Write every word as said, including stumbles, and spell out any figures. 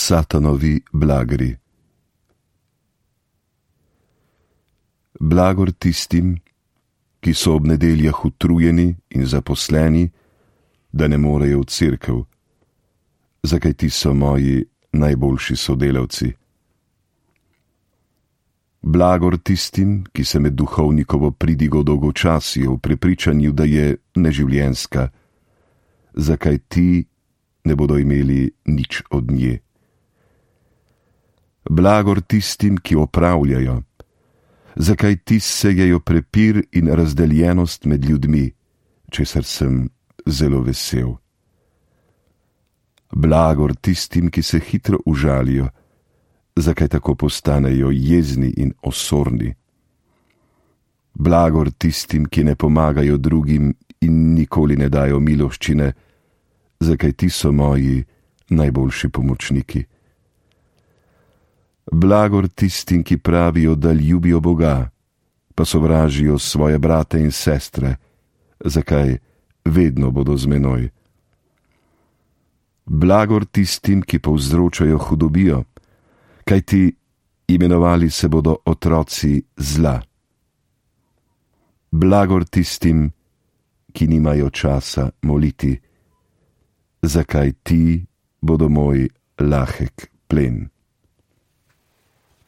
Satanovi blagri. Blagor tistim, ki so ob nedeljah utrujeni in zaposleni, da ne morejo v cerkev, zakaj ti so moji najboljši sodelavci. Blagor tistim, ki se med duhovnikovo pridigo dolgočasijo v prepričanju, da je neživljenjska, zakaj ti ne bodo imeli nič od nje. Blagor tistim, ki opravljajo, zakaj ti sejejo prepir in razdeljenost med ljudmi, česar sem zelo vesel. Blagor tistim, ki se hitro užalijo, zakaj tako postanejo jezni in osorni. Blagor tistim, ki ne pomagajo drugim in nikoli ne dajo miloščine, zakaj ti so moji najboljši pomočniki. Blagor tistim, ki pravijo, da ljubijo Boga, pa sovražijo svoje brate in sestre, zakaj vedno bodo z menoj. Blagor tistim, ki povzročajo hudobijo, kajti imenovali se bodo otroci zla. Blagor tistim, ki nimajo časa moliti, zakaj ti bodo moj lahek plen.